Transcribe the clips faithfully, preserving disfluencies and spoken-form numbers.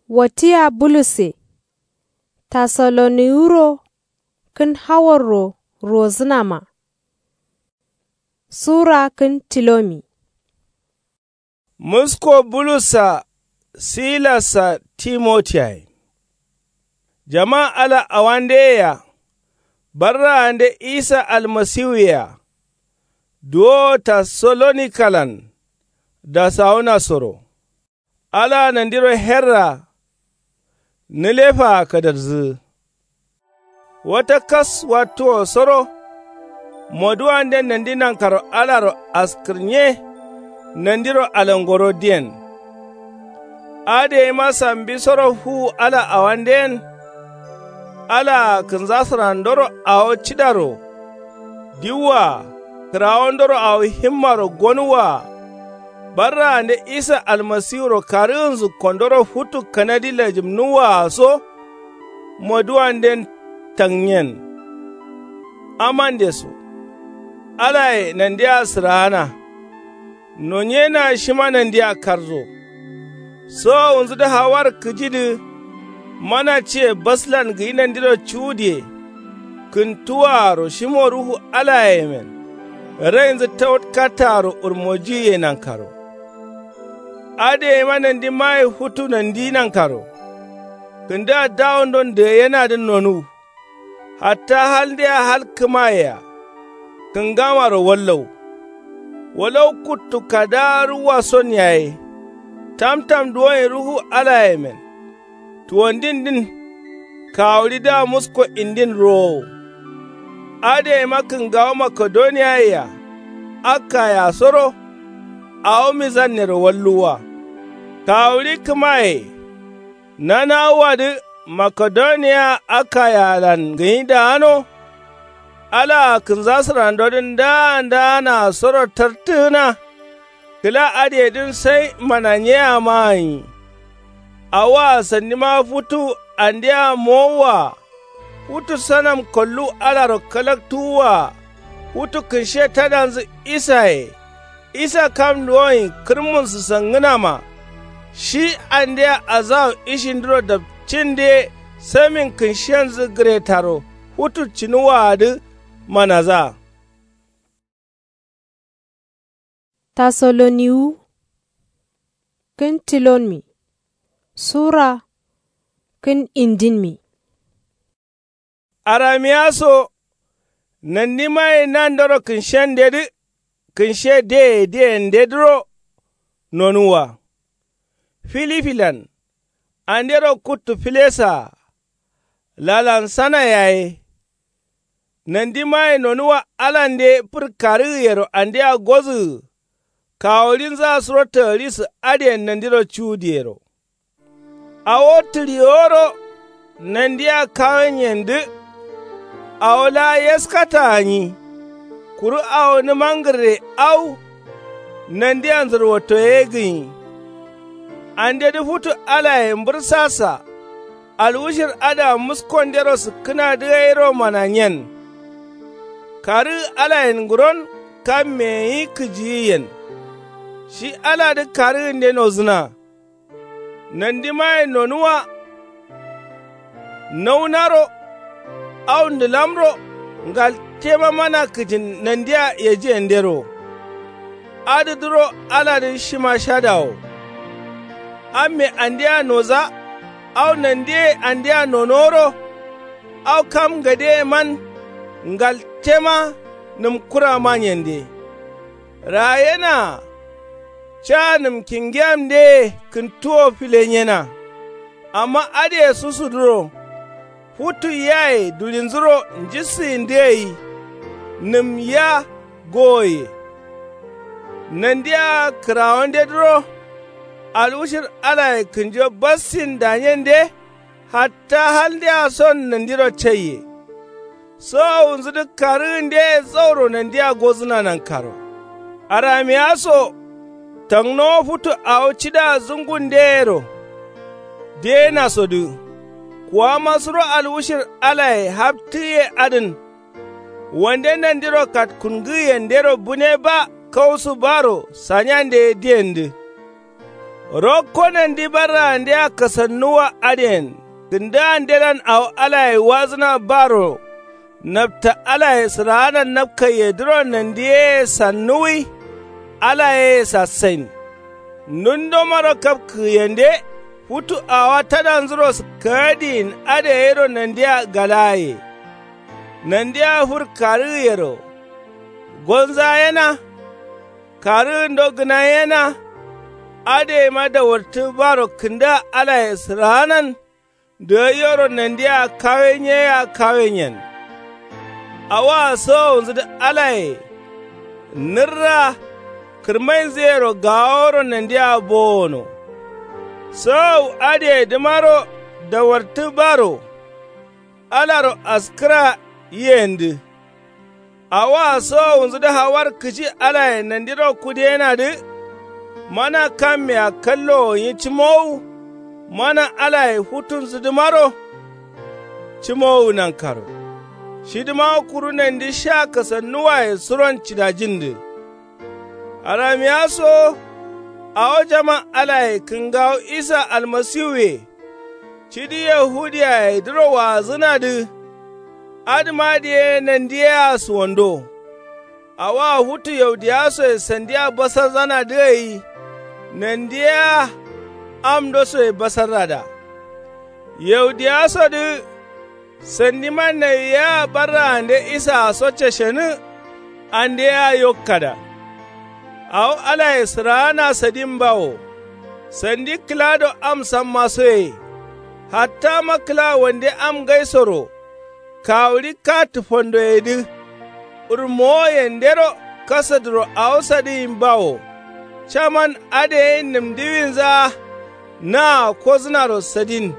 Watiya bulusse. Tasaloniwuro kǝn hawarro rozǝnama. Sura kǝn tilomi. Musko bulussa silassa timotiyaye. Jama ala awandeyea. Barraande isa almasiwuyea. Duwowo tasalonikalan dasawunasoro. Alaa nandiro herra nǝlefaa kadarzǝgǝ. Wata kas wattuwosoro. Moduwanden nandi nankaro alaro askǝrnye. Nandiro alangoro diyen. Adǝ yeima sambisoro fuwu ala awanden. Alaa kǝnzasǝrandoro awo cidaro diwwa. Kǝrawondoro awo himmaro gonuwwa. Barraande isa almasiwuro karǝgǝnzǝ kondoro futu kanadi lajǝmnuwwaa so. Moduwanden tangnyen. Amande so alaye nandia sǝraana. Nonyena shima nandia karzo. Sowowunzǝdǝ hawar kǝjidǝ. Mana ciye baslan gǝyi nandiro cuwudiye. Kǝntuwaaro shimo ruhu alayemen. Rainzǝ tawatkattaaro urmojiye nankaro. Adǝ yeima nandimaye futu nandi nankaro. Kǝndǝa dawondon dǝgayenadǝn nonuw. Hatta haldea hal kǝmayea. Kǝngamaro wallau. Walau kuttu kadaa ruwwason yaye. Tamtam duwoin ruhu alayemen. Tuwandindin. Kawuɍidǝa musko indin rowowo. Adǝ yeima kǝngawo makedoniyayea. Akkayea soro. Awo mizannero walluwwa. Kawuɍi kǝmaye. Nanawuwadǝ makedoniya akkayealan gǝnyi daano. Alaa kǝnzasǝrandodǝn ndaa ndaanaa soro tartǝgǝna. Kǝla adǝyedǝn sai mananyeyama gǝnyi. Awoa sandima futu andea mowowaa. Futu sanam kollu alaro kalaktuwwaa. Futu kǝnshe tadanzǝ isaye. Isa kam duwoin kǝrmunsǝ sangǝnama. Shi andea azawu ishindǝro dapcinde. Samin kǝnshenzǝ gǝretaro futu cinuwwaadǝ. Manazaa. Tasaloniwu. Kǝn tilonmi. Sura kǝn indinmi. Aramiya so. Nandimaye nandoro kǝnshendedǝ. Kǝnshe deye diyendedǝro. Nonuwwa filifilan. Andero kuttu filesaa. Lalansana yaye. Nandimaye nonuwwa alande fǝr karǝgǝyero andea gozǝgǝ. Kawuɍinzǝa suro tagalisǝ adǝyen nandiro cuwudǝyero. Awo tǝɍiworo. Nandia kawanyendǝ. Awo laa yaskata gǝnyi. Kuru awo nǝmangǝrre au. Nandia nzǝrwatto ye gǝnyi. Andedǝ futu alaye mbǝrsasa. Alwushir adǝa muskondero sǝkkǝnadǝ gairo mananyen. Karǝgǝ alayen ngǝron kamme gǝnyi kǝjiyiyen. Shi aladǝ karǝgǝnde nozǝna. Nandimaye nonuwa. Naunaro. Au ndǝlamro. Ngaltema mana kǝjin nandia yejiyendero. Adǝdǝro aladǝ shima shadawo. Amme andea noza. Au nandiye andea nonoro. Au kam ngadeyeman. Ngaltema nǝmkuramanyende. Rayenaa. Ca nǝm kingeyamdeye kǝntuwo filenyena. Amma adǝye susudǝro. Futu yaye duɍinzuro njissǝyindǝ gai. Nǝm ya gowoye. Nandia kǝrawandedǝro. Alwushir alaye kǝnjo bassin danyende. Hatta haldea son nandiro caiye. Sowowunzudǝ karǝgǝndeye zauro nandia gozǝna nankaro. Aramiya so. Tangnowo futu awo cidaa zungundeyero. Deyenasodǝ. Kuwama suro alwushir alaye haptǝgǝye adǝn. Wande nandiro katkungǝgǝyendero bune ba kausu baro sanyande ye diyendǝ. Rokko nandi barraandea kasannuwa adǝyen kǝndǝandelan awo alaye wazǝna baro. Napta alaye sǝraanan napkaiyedǝro nandi yeye sannuwwi. Ala yeye sassain. Ndundamaro kapkǝgǝyende futu awowa tadanzuro sǝkkagadiyin adǝgairo nandia galaye. Nandia fur karǝgǝyero gonza yena. Karǝgǝndo gǝna yena. Adǝgaima dawartǝ baro kǝndǝa alaye sǝraanan. Dǝgaiyoro nandia kawe nyeyea kawe nyen. Awoa sowowunzudǝ alaye nǝrra. Kǝrmainzuyero gaworo nandia bowono. Sowowu adǝgaidǝmaro dawartǝ baro. Alaro askǝra yiyendǝ. Awoa sowowunzudǝ hawar kǝji alaye nandiro kudeyenadǝ. Mana kammea kallowo nyi cǝmowu. Mana alaye futunzudǝmaro cǝmowu nankaro. Shidǝma kuru nandi sha kasannuwaye suron cidajindǝ. Aramiya so awo jama alaye kǝngawo isa almasiwuye. Cidi yahudiyaye duro waazǝnadǝ. Adǝmadǝ ye nandi yea suwando. Awoa futu yaudiyasoye sandia basarzanadǝ gai. Nandi yea amndosoye basarrada. Yaudiyasodǝ sandima nawi yea barraande isaa so cashenǝ. Ande yea yokkada. Awo alaye sǝraana sadin bawo. Sandi kǝlado am samma soye. Hattama kǝla wande am ngaisoro. Kawuɍi ka tǝfandoyedǝ. Urmowo yendero kasaduro awo sadǝgin bawo. Caman adǝ gai nǝmdiwinzaa. Naa kozǝnaro sadin.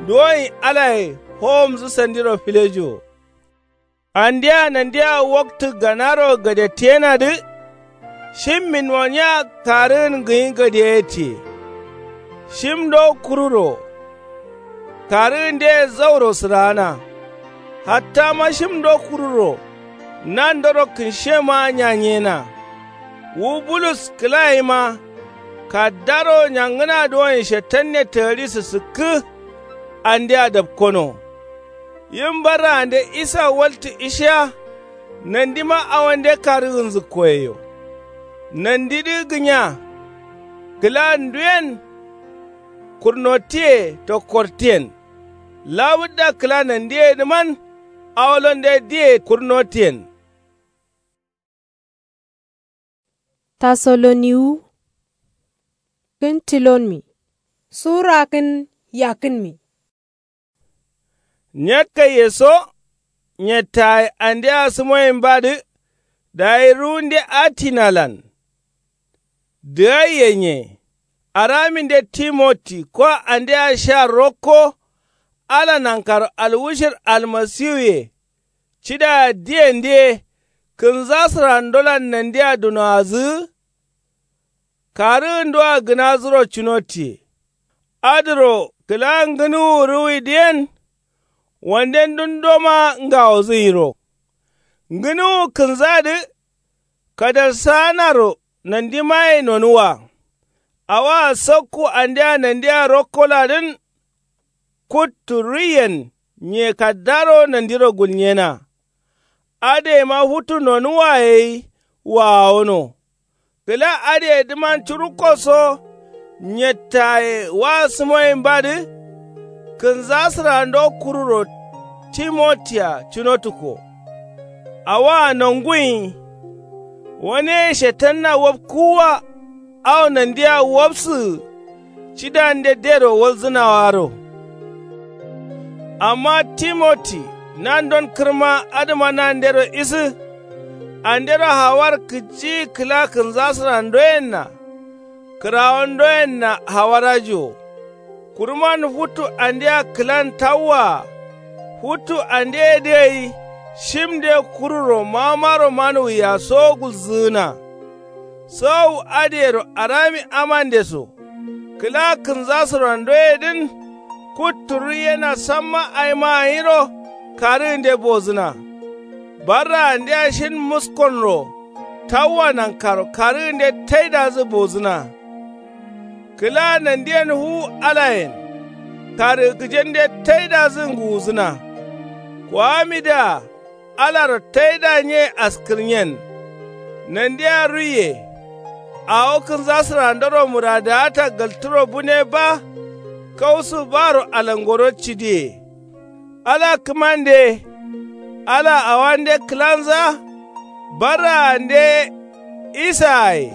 Duwoyin alaye howomzǝ sandiro filejo. Andea nandia waktǝ ganaro gadettiyenadǝ. Shim minwoniya karǝgǝn gǝnyi gadeye tiye. Shim ndo kururo. Karǝgǝnde zauro sǝraana. Hattama shim ndo kururo. Nandoro kǝnshiyema nyanyena. Wu bulus kǝlayima. Kaddaro nyangǝna duwoyin shetanne tǝgadi sǝsǝkkǝ. Andea dapkono. Yim barraande isa waltǝ ishiya. Nandima awonde karǝgǝnzǝkkoyeyo. Nandidǝ gǝnya. Kǝla nduyen. Kurnottiye tokkortiyen. Lawudda kǝla nandiyedǝman. Awolonde diye kurnottiyen. Tasoloniwu. Kǝn tilonmi. Sura kǝn yakkǝnmi. Nyakkaiye so. Nyattaye andea sǝmoyinbadǝ. Dayi ruwunde atinalan. Dǝgaiye nye. Araminde timoti kwa andea sha rokko. Ala nankaro alwushir almasiwuye. Cidaya diyendǝ ye. Kǝnza sǝrandolan nandia dunoazǝgǝ. Karǝgǝndoa gǝnazuro cunotiye. Adǝro kǝla ngǝnuwu ruwidǝyen. Wande ndundoma ngawozǝ nyiro. Ngǝnuwu kǝnzadǝ. Kadalsaanaro nandimaye nonuwa. Awoa sakku andea nandia rokkoladǝn. Kuttu ruiyen nye kaddaro nandiro gulnyena. Adǝgaima futu nonuwaye gai wawono. Kǝla adǝgedǝman curukko so. Nyattaye wa sǝmoyinbadǝ. Kǝnza sǝrando kururo timotia cunotukko. Awoa nonguyin. Waneye shetanna wapkuwwa. Awo nandia wapsǝgǝ. Cidande dero walzǝnawaro. Amma timoti nandon kǝrma adǝma nandero isǝ. Andero hawar kǝjiyi kǝla kǝnza sǝrandoyenna. Kǝrawondoyenna hawarajiwo. Kuruman futu andea kǝlan tawwaa. Futu andeyedǝ gai. Shimde kururo mamaro manuwiya so gulzǝgǝna. Sowowu adǝyero arami amande so. Kǝla kǝnza sǝrandoyedǝn. Kuttu ruiyena samma aima ganyiro. Karǝgǝnde bozǝna. Barraandea shin muskonro. Tawwa nankaro karǝgǝnde taidazǝ bozǝna. Kǝla nandiyen wu alayen karǝgǝjende taidazǝ ngǝwuzǝna. Kowamidǝa alaro taida nye askǝrnyen. Nandia ruiye awo kǝnzasǝrandoro muradaata galtǝro bune ba. Kausu baro alangoro cidiye. Ala kǝmande ala awande kǝlanza. Barraande isaaye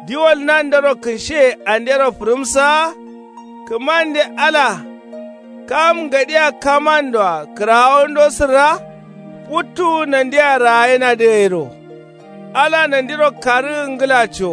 diwol nandero kǝnshiye andero fǝrǝmsaa. Kǝmande ala kam ngadia kamandoa kǝrawondo sǝrra. Futtuwu nandia raayinadǝ gairo. Ala nandiro karǝgǝ ngǝlaco.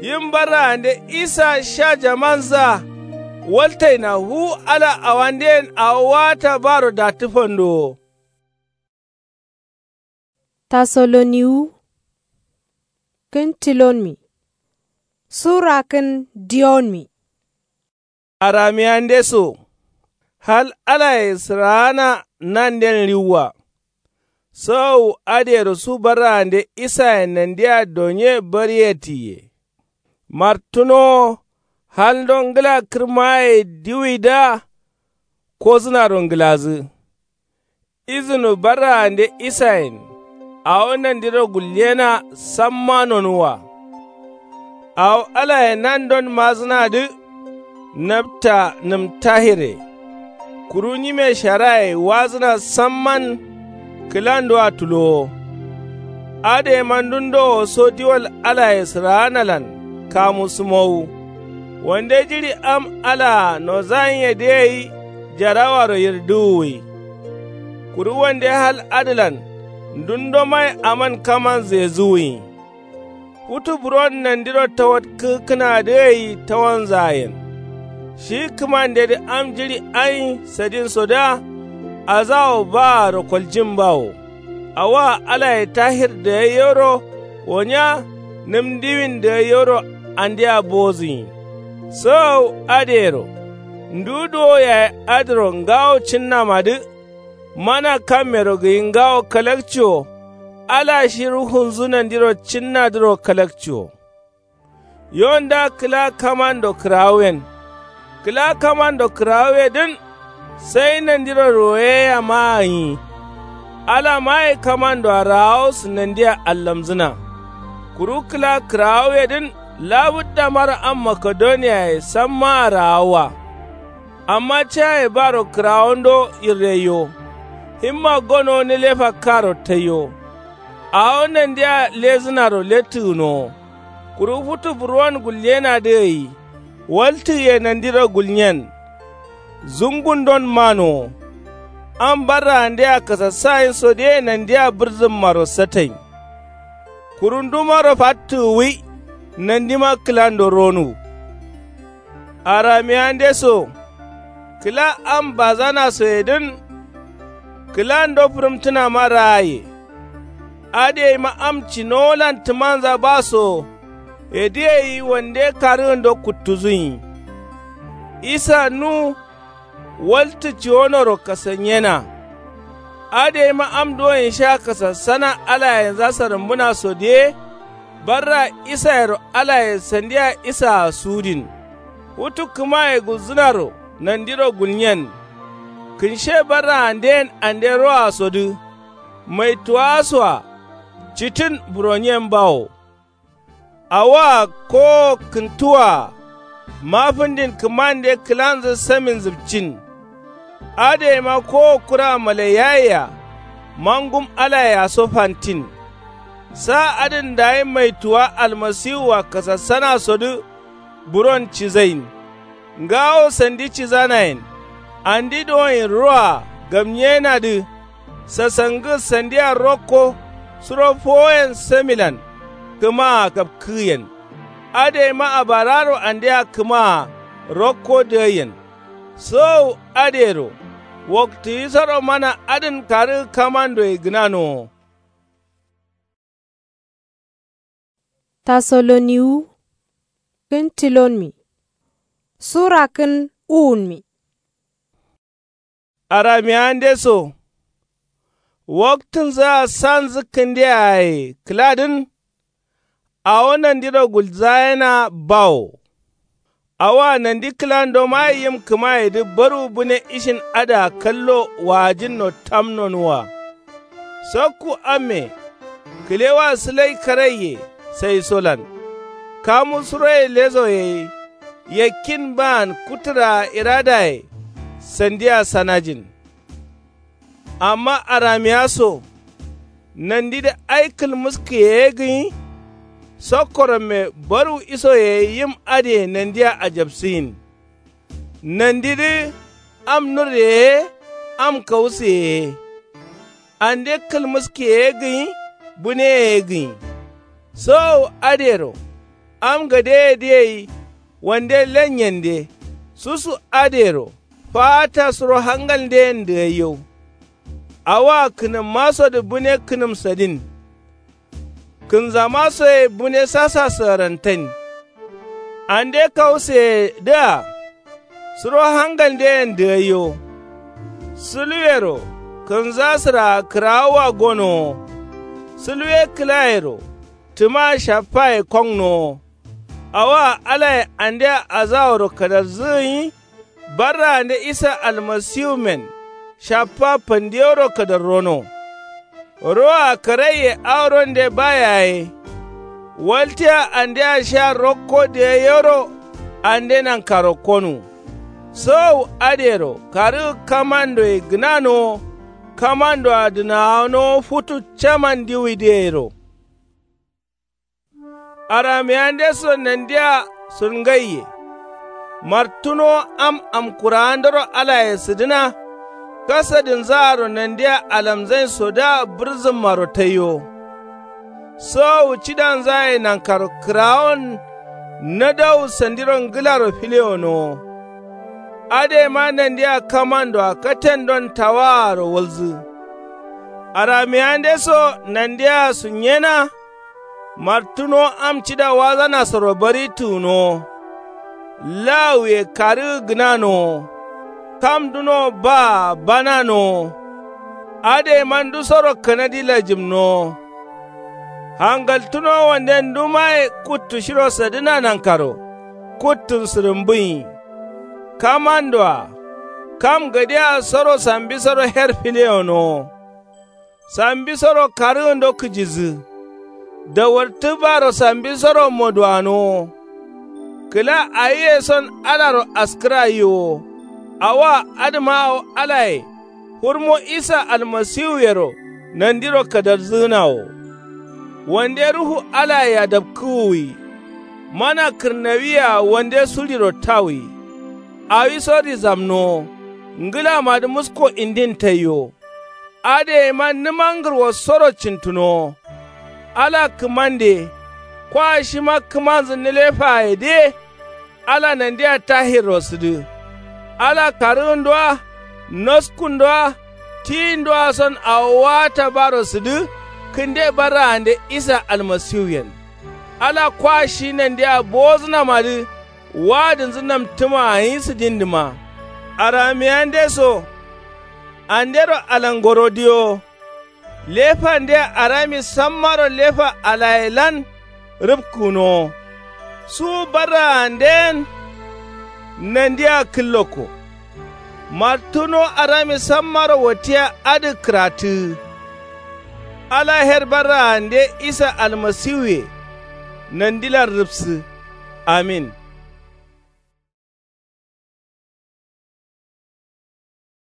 Yim barraande isa sha jamanzǝa waltaina wu ala awandeyen awo waata baro dattǝ fandowo. Tasoloniwu kǝn tilonmi sura kǝn diyonmi. Aramiyandeso hal alaye sǝraana nanden riwwa. Sawawu adǝyero su barraande isayen nandia donye bariyetǝye. Martǝnowo halndo ngǝla kǝrmaye diwidǝa. Kozǝnaro ngǝlazǝ izǝnu barraande isayen awo nandiro gulyena samma nonuwwa. Awo alaye nandon mazǝnadǝ napta nǝm tahire. Kuru nyime sharaye wazǝna samman kǝlandoa tulowo. Adǝyeima ndundo woso diwol alaye sǝraanalan kamu sǝmowu. Wande jiɍi am alaa nozanyedǝ gai jarawaro yirdǝwuwi. Kuru wande hal adǝlan ndundo mai aman kamanzǝye zuwuyi. Futu buron nandiro tawatkǝkkǝnadǝ gai tawanzayen. Shi kǝmandedǝ am jiɍi ain sadinsodǝa azawo baaro koljin bawo. Awoa alaye tahir dagaiyoro wonya nǝm ndiwin dagaiyoro andia bozǝnyi. Sawawu adǝyero ndu duwo yayi adǝro ngawo cinnamadǝ. Mana kammero gǝyi ngawo kalakciwo. Ala shi ruhunzǝ nandiro cinnadǝro kalakciwo. Yonda kǝla kamando kǝrawuyen. Kǝla kamando kǝrawuyedǝn sai nandiro royeyama gǝnyi. Ala maye kamandoa raawosǝ nandia allamzǝna. Kuru kǝla kǝrawuyedǝn labǝt damaro am makedoniyaye sammaa raawuwa. Amma caye baro kǝrawondo yirraiyo. Himma gonowo nilefa karo taiyo. Awo nandia lezǝnaro lettǝgǝnowo. Kuru futu buruwan gulyenadǝ gai waltǝgǝye nandiro gulnyen. Zungundon manowo. Am barraandea kasassayinso diye nandia bǝrzǝmmaro satain. Kuru ndumaro fattǝgǝwi nandima kǝlando ronuwu. Aramiyandeso kǝla am bazanasoyedǝn kǝlando fǝrǝmtǝnama raaye. Adǝyeima am cinowolan tǝmanza basowo. Yedǝ gai wande karǝgǝndo kuttuzǝnyi. Isa nu waltǝ ciwonoro kasanyena. Adǝyeima am duwonyi sha kasassana alayenza sarǝmbǝnasodiye. Barra isayero alaye sandia isaa sudin. Futu kǝmaye gulzǝnaro nandiro gulnyen. Kǝnshe barraandeyen ande roasodǝ. Maituwasoa citǝn buronyen bawo. Awoa kowo kǝntuwaa mafǝndin kǝmande kǝlanzǝ samin zǝpcin. Adǝyeima kowo kura malaiyayea mangum alayeaso fantin. Sa adǝn dayi maituwa almasiwua kasassanasodǝ. Buron cizain ngawo sandi cizanayen. Andi duwoin roa gamnyenadǝ. Sasangǝ sandia rokko suro fowoyen samilan kǝmaa gapkǝgǝyen. Adǝyeima abararo andea kǝmaa rokko dǝgaiyen. Sowowu adǝyero waktǝ isoro mana adǝn karǝgǝ kamandoye gǝnanowo. Tasoloniwu kǝn tilonmi sura kǝn uwunmi. Aramiyandeso waktǝnzǝa sanzǝ kǝndeaye kǝladǝn. Awo nandiro gulzayena bawo. Awoa nandi kǝlando maye yim kǝmayedǝ baru bǝne ishin adǝa kallo waajǝnno tamnonuwa. Sakku amme kǝlewa sǝlai karaiye saisolan kamu suroye lesoye. Yakkin baan kutǝraa iradaye sandia sanajin. Amma aramiya so nandidǝ ai kǝlmǝskǝye ye gǝnyi. Sokkoromme baru isoye ye yim adǝye nandia ajapsǝyin. Nandidǝ am nurreye ye am kawusǝye ye. Ande kǝlmǝskǝye ye gǝnyi bǝneye ye gǝnyi. Sowowu adǝyero am gadeyedǝ gai wande lenyende susu adǝyero faata suro hangalnden dǝgaiyau. Awoa kǝnǝmmasodǝ bǝne kǝnǝmsadin. Kǝnzamasoye bǝne sasa sǝgǝrantain. Ande kawusǝyedǝa suro hangalnden dǝgaiyo. Sǝluwero kǝnzasǝraa kǝrawoa gonowo. Sǝluwe kǝlayero tǝmaa shaffaye kongnowo. Awoa alaye andea azaworo kadarzǝ gǝnyi. Barraande isa almasiwumen shaffa fandiyoro kadarrono. Roa karaiye aworonde ba yaye. Waltiya andea sha rokko dǝgaiyoro ande nankaro konu. Sowowu adǝyero karǝgǝ kamandoye gǝnanowo. Kamandoa dǝnawanowo futu caman ndiwidǝ gairo. Aramiyande so nandia surngaiye. Martunowo am amkuraandoro alaye sǝdǝna. Kasadinzaaro nandia alamzain sodǝa bǝrzǝmmaro taiyowo. Sowowu cidanzaye nankaro kǝrawon. Nadawu sandiro ngǝlaro filewonowo. Adǝyema nandia kamandoa katendon tawaaro walzǝ. Aramiyande so nandia sunyena. Martunowo am cida wazanasoro bari tǝgǝnowo. Lawuye karǝgǝ gǝnanowo. Kam dunowo baa bananowo. Adǝyeman ndusoro kanadi lajǝmnowo. Hangaltǝnowo wande ndumaye kuttu shiro sadǝna nankaro kuttun sǝrǝmbǝnyi. Kamandoa kam gadea soro sambisoro her filewonowo. Sambisoro karǝgǝndo kǝjidǝ. Dawartǝ baro sambisoro moduwanowo. Kǝla awiye son alaro askǝra yiwo. Awoa adǝma awo alaye hurmo isa almasiwuyero nandiro kadarzǝgǝna wo. Wande ruhu alaye adapkǝ wuwi. Mana kǝrnawiye-a wande suɍiro tawuwi. Awiso rizamnowo. Ngǝlamadǝ musko indin taiyowo. Adǝyeman nǝma ngǝrwosoro cintǝnowo. Ala kǝmande. Kwa shima kǝmanzǝ nǝlefayedǝye. Ala nandia tahirro sǝdǝ. Ala karǝgǝndoa noskundoa tiyindoa son awo waata baro sǝdǝ. Kǝnde barraande isa almasiwuyen. Ala kwa shi nandia bowozǝnamadǝ. Wa'adǝnzǝ namtǝma gǝnyi sǝdindǝma. Aramiyande so andero alangoro diyo. Lefande arami sammaro lefa alayelan rǝpkǝgǝnowo. Su barraanden nandia kǝllokko. Martuno arami sammaro wattiya adǝ kǝrattǝgǝ. Ala her barraande isa almasiwuye nandilan rǝpsǝ. Amin.